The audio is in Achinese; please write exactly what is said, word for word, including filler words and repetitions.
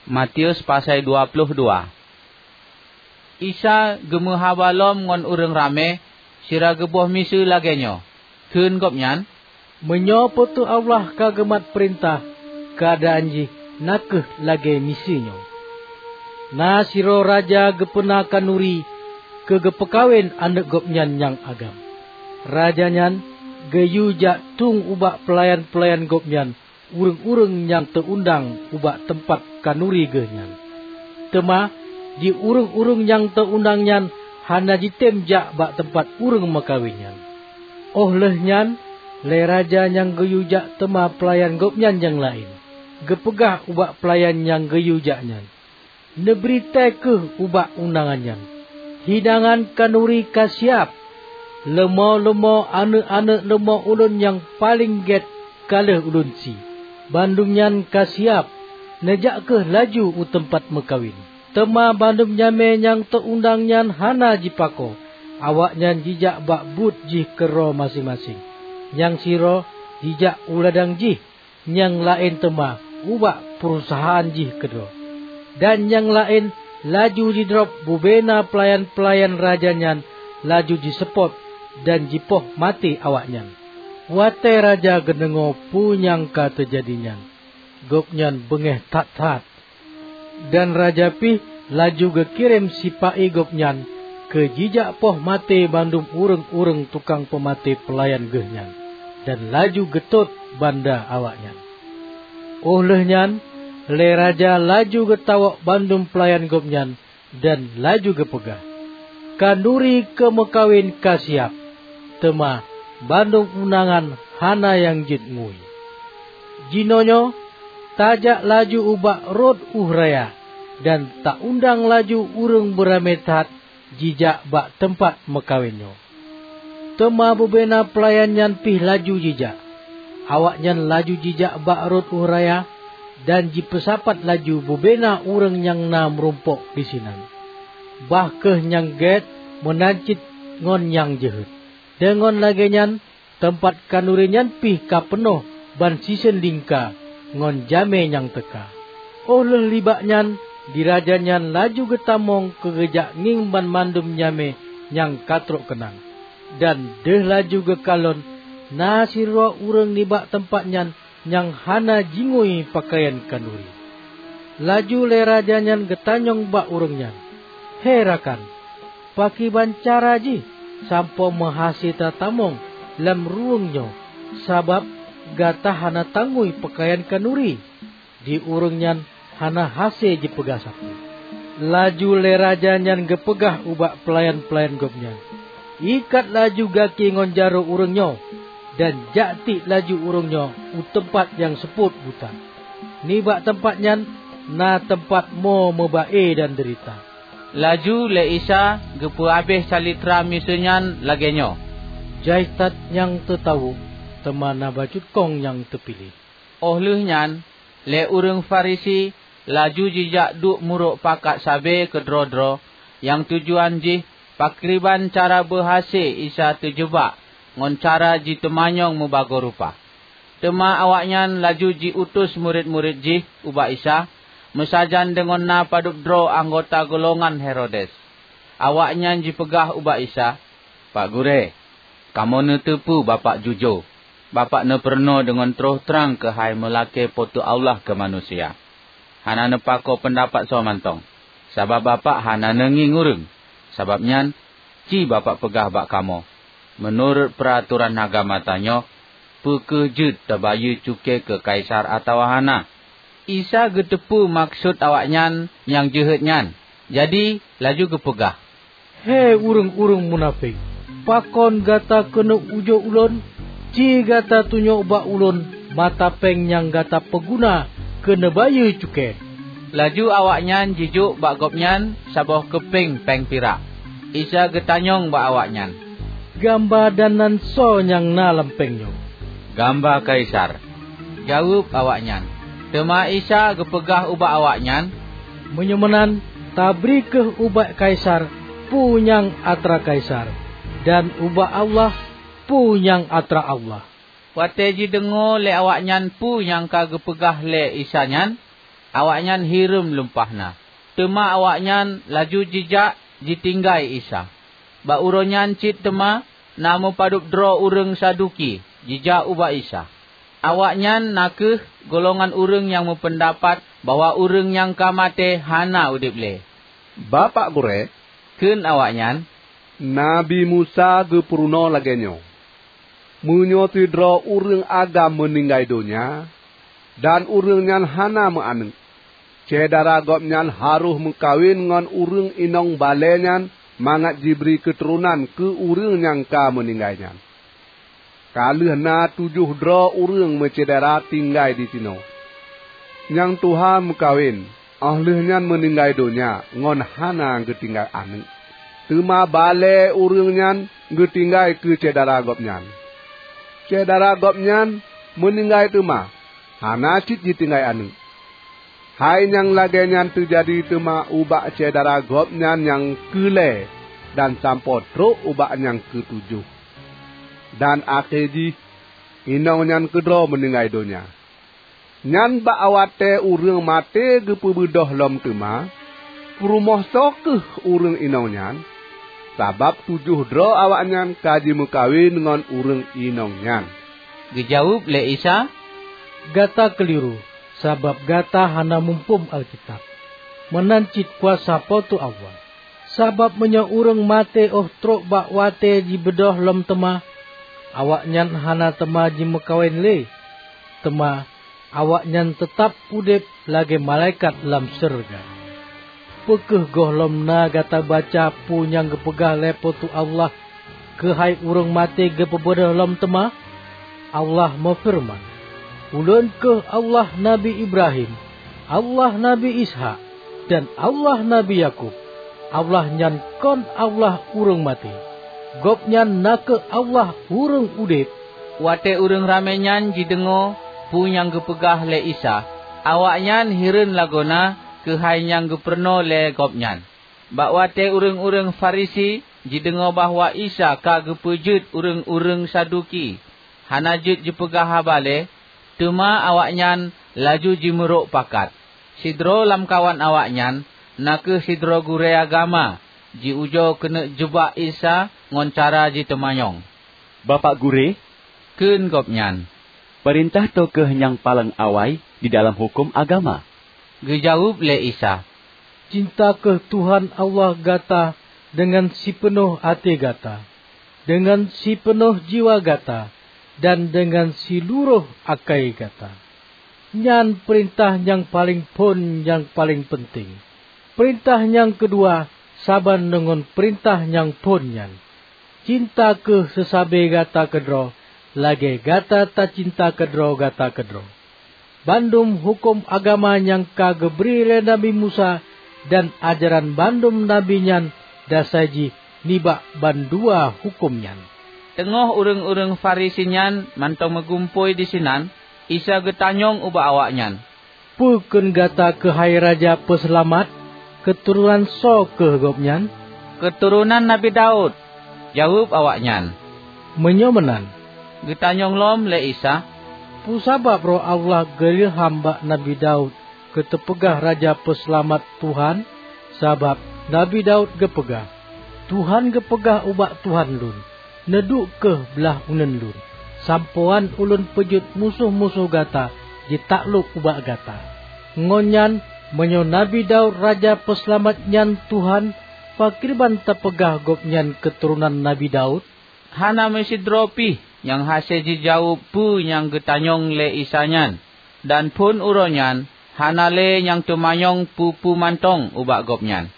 Matius pasai dua ploh dua. Isa geumeuhaba lom ngon ureuëng ramé sira geuboh miseue lagée nyoe. Kheun Gobnyan, "Meunyoe Po teu Allah ka geumat peurintah, keuadaan jih na kheueh lagée miseue nyoe. Na sidroe raja geupeuna khanuri keu geupeukawen aneuëk gobnyan nyang agam. Raja nyan geuyue jak tueng ubak peulayan-peulayan gobnyan ureuëng-ureuëng nyang teu-undang ubak teumpat khanuri geuh nyan. Teuma di ureuëng-ureuëng nyang teu-undang nyan hana jitem jak bak teumpat ureuëng meukawen nyan. Óh lheueh nyan, lé raja nyang geuyue jak teuma peulayan gobnyan nyang laén, geupeugah ubak peulayan nyang geuyue jak nyan, 'Neubri tée kheueh ubak undangan nyan, hidangan khanuri ka siab. Leumo-leumo aneuëk-aneuëk leumo ulôn nyang paleng gét ka lheueh ulôn sie. Bandum nyan ka siab. Neujak kheueh laju u teumpat meukawen.' Teuma bandum jamé nyang teu-undang nyan hana jipako. Awaknyan jijak bak buet jih keudroe maséng-maséng. Nyang sidroe jijak u ladang jih, nyang laén teuma ubak peurusahaan jih keudroe, dan nyang laén laju jidrob bubena peulayan-peulayan raja nyan, laju jiseupôt dan jipoh maté awaknyan. Watée raja geudeungoe peue nyang ka teujadi nyan, gobnyan beungéh that-that. Dan raja pih laju geukirém sipa-i gobnyan keu jijak poh maté bandum ureuëng-ureuëng tukang peumaté peulayan geuh nyan, dan laju geutot banda awaknyan. Óh lheueh nyan, lé raja laju geutawök bandum peulayan gobnyan dan laju geupeugah, 'Khanuri keu meukawen ka siab, teuma bandum undangan hana nyang jeuet ngui. Jinoenyoe tajak laju ubak rot ueh raya, dan ta-undang laju ureuëng beuramé that jijak bak teumpat meukawen nyoe.' Teuma bubena peulayan nyan pih laju jijak. Awaknyan laju jijak bak rot ueh raya, dan jipeusapat laju bubena ureuëng nyang na meurumpok disinan, bah kheueh nyang gét meunan cit ngon nyang jeuhet. Deungon lagée nyan, teumpat khanuri nyan pih ka peunoh ban siseun lingka ngon jamé nyang teuka. Óh lheueh nibak nyan, di raja nyan laju geutamong keu geujak ngieng banmandum jamé nyang ka trok keunan. Dan deuh laju geukalon, na sidroe ureuëng nibak teumpat nyan nyang hana jingui peukayan khanuri. Laju lé raja nyan geutanyong bak ureuëng nyan, 'He rakan, pakriban cara jih sampoe meuhase tatamong lam ruweueng nyoe, sabab gata hana tangui peukayan khanuri?' Di ureuëng nyan hana hase jipeugah sapeue. Laju lé raja nyan geupeugah ubak peulayan-peulayan gobnyan, 'Ikat laju gaki ngon jaroe ureuëng nyoe, dan jak tiek laju ureuëng nyoe u teumpat nyang seupôt buta. Nibak teumpat nyan na teumpat mo meuba-e dan deurita.' Laju lé Isa geupeuhabéh calitra miseue nyan lagée nyoe, "Jai that nyang teutawök, teuma na bacut kong nyang teupiléh." Óh lheueh nyan, lé ureuëng Farisi laju jijak duek murok pakat sabe keudroe-droe, nyang tujuan jih pakriban cara beuhase Isa teujeubak ngon cara jiteumanyong meubagoe rupa. Teuma awaknyan laju jiutus murit-murit jih ubak Isa, meusajan deungon na padub droe anggota golongan Herodes. Awaknyan jipeugah ubak Isa, "Pak Gurée, kamoe neuteupeue Bapak jujoe. Bapak neupeurunoe deungon troh trang keuhai meulakée Po teu Allah keu manusia. Hana neupako peundapat soe mantong, sabab Bapak hana neungieng ureuëng. Sabab nyan, ci Bapak peugah bak kamoe, meunurot peuratoran agama tanyoe, peu kheueh jeuet tabayeue cukée keu Kaisar atawa hana?" Isa geuteupeue maksud awaknyan nyang jeuhet nyan, jadi laju geupeugah, "He ureuëng-ureuëng munafék! Pakon gata keuneuk ujoe Ulôn? Ci gata tunyok bak Ulôn mata péng nyang gata peuguna keu neubayeue cukée." Laju awaknyan jijok bak Gobnyan saboh keupéng péng pirak. Isa geutanyong bak awaknyan, "Gamba dan nan soe nyang na lam péng nyoe?" "Gamba Kaisar," jaweueb awaknyan. Teuma Isa geupeugah ubak awaknyan, "Meunyoe meunan, tabri kheueh ubak Kaisar peue nyang atra Kaisar, dan ubak Allah peue nyang atra Allah." Watée jideungoe lé awaknyan peue nyang ka geupeugah lé Isa nyan, Awaknyan hireuen lumpah na. Teuma awaknyan laju jijak jitinggai Isa. Bak uroe nyan cit teuma na meupadub droe ureuëng Saduki jijak ubak Isa. Awaknyan na kheueh golongan ureuëng nyang meupeundapat bahwa ureuëng nyang ka maté hana udeb lé. "Bapak Gurée," kheun awaknyan, "Nabi Musa geupeurunoe lagée nyoe, 'Meunyoe sidroe ureuëng agam meuninggai donya, dan ureuëng nyan hana meu-aneuëk, syedara gobnyan harôh meukawen ngon ureuëng inong balée nyan mangat jibri keuturonan keu ureuëng nyang ka meuninggai nyan.' Ka lheueh na tujoh droe ureuëng meusyedara tinggai disinoe. Nyang tuha meukawen, óh lheueh nyan meuninggai donya ngon hana geutinggai aneuëk. Teuma balée ureuëng nyan geutinggai keu syedara gobnyan. Syedara gobnyan meuninggai teuma, hana cit jitinggai aneuëk. Hai nyang lagée nyan teujadi teuma ubak syedara gobnyan nyang keu lhée dan sampoe trok ubak nyang keu tujoh. Dan akhé jih, inong nyan keudroe meuninggai donya. Nyan bak watée ureuëng maté geupeubeudôh lom teuma, peurumoh soe kheueh ureuëng inong nyan? Sabab tujoh droe awaknyan ka jimeukawen ngon ureuëng inong nyan." Geujaweueb lé Isa, "Gata keuliru, sabab gata hana muphom Alkitab, meunan cit kuasa Po teu Allah. Sabab meunyoe ureuëng maté óh trok bak watée jibeudôh lom teuma, awaknyan hana teuma jimeukawen lé, teuma awaknyan teutab udeb lagée malaikat lam syeuruga. Peu kheueh gohlom na gata baca peue nyang geupeugah lé Po teu Allah keuhai ureuëng maté geupeubeudôh lom teuma? Allah meufeureuman, 'Ulôn kheueh Allah Nabi Ibrahim, Allah Nabi Ishak, dan Allah Nabi Yakub.' Allah nyan kon Allah ureuëng maté. Gobnyan na kheueh Allah ureuëng udeb." Watée ureuëng ramé nyan jideungoe peue nyang geupeugah lé Isa, awaknyan hireuen lagoena keuhai nyang geupeurunoe lé Gobnyan. Bak watée ureuëng-ureuëng Farisi jideungoe bahwa Isa ka geupeujeuet ureuëng-ureuëng Saduki hana jeuet jipeugah haba lé, teuma awaknyan laju jimeurok pakat. Sidroe lamkawan awaknyan, na kheueh sidroe gurée agama, jiujoe keuneuk jeubak Isa ngon cara jiteumanyong. "Bapak Gurée," kheun gobnyan, "peurintah toh kheueh nyang paleng awai di dalam huköm agama?" Geujaweueb lé Isa, "Cinta kheueh Tuhan Allah gata deungon sipeunoh até gata, deungon sipeunoh jiwa gata, dan deungon siluroh akai gata. Nyan peurintah nyang paleng phon nyang paleng peunteng. Peurintah nyang keudua saban deungon peurintah nyang phon nyan, 'Cinta kheueh seusabe gata keudroe lagée gata tacinta keudroe gata keudroe.' Bandum huköm agama nyang ka geubri lé Nabi Musa dan ajaran bandum nabi nyan dasai jih nibak bandua huköm nyan." Teungoh ureuëng-ureuëng Farisi nyan mantong meugumpôi disinan, Isa geutanyong ubak awaknyan, "Peu kheun gata keuhai Raja Peuseulamat? Keuturonan soe kheueh Gobnyan?" "Keuturonan Nabi Daud," jaweueb awaknyan. "Meunyoe meunan," geutanyong lom lé Isa, "peue sabab Roh Allah geuilham bak Nabi Daud keu teupeugah Raja Peuseulamat Tuhan? Sabab Nabi Daud geupeugah, 'Tuhan geupeugah ubak Tuhan lôn, neuduek kheueh blah uneuen lôn, sampoe ulôn peujeuet musoh-musoh gata jitaklok ubak gata.' Ngon nyan, meunyoe Nabi Daud Raja Peuseulamat nyan Tuhan, pakriban tapeugah Gobnyan keuturonan Nabi Daud?" Hana meusidroe pih nyang hase jijaweueb peue nyang geutanyong lé Isa nyan, dan phon uroe nyan hana lé nyang teumanyong peue-peue mantong ubak Gobnyan.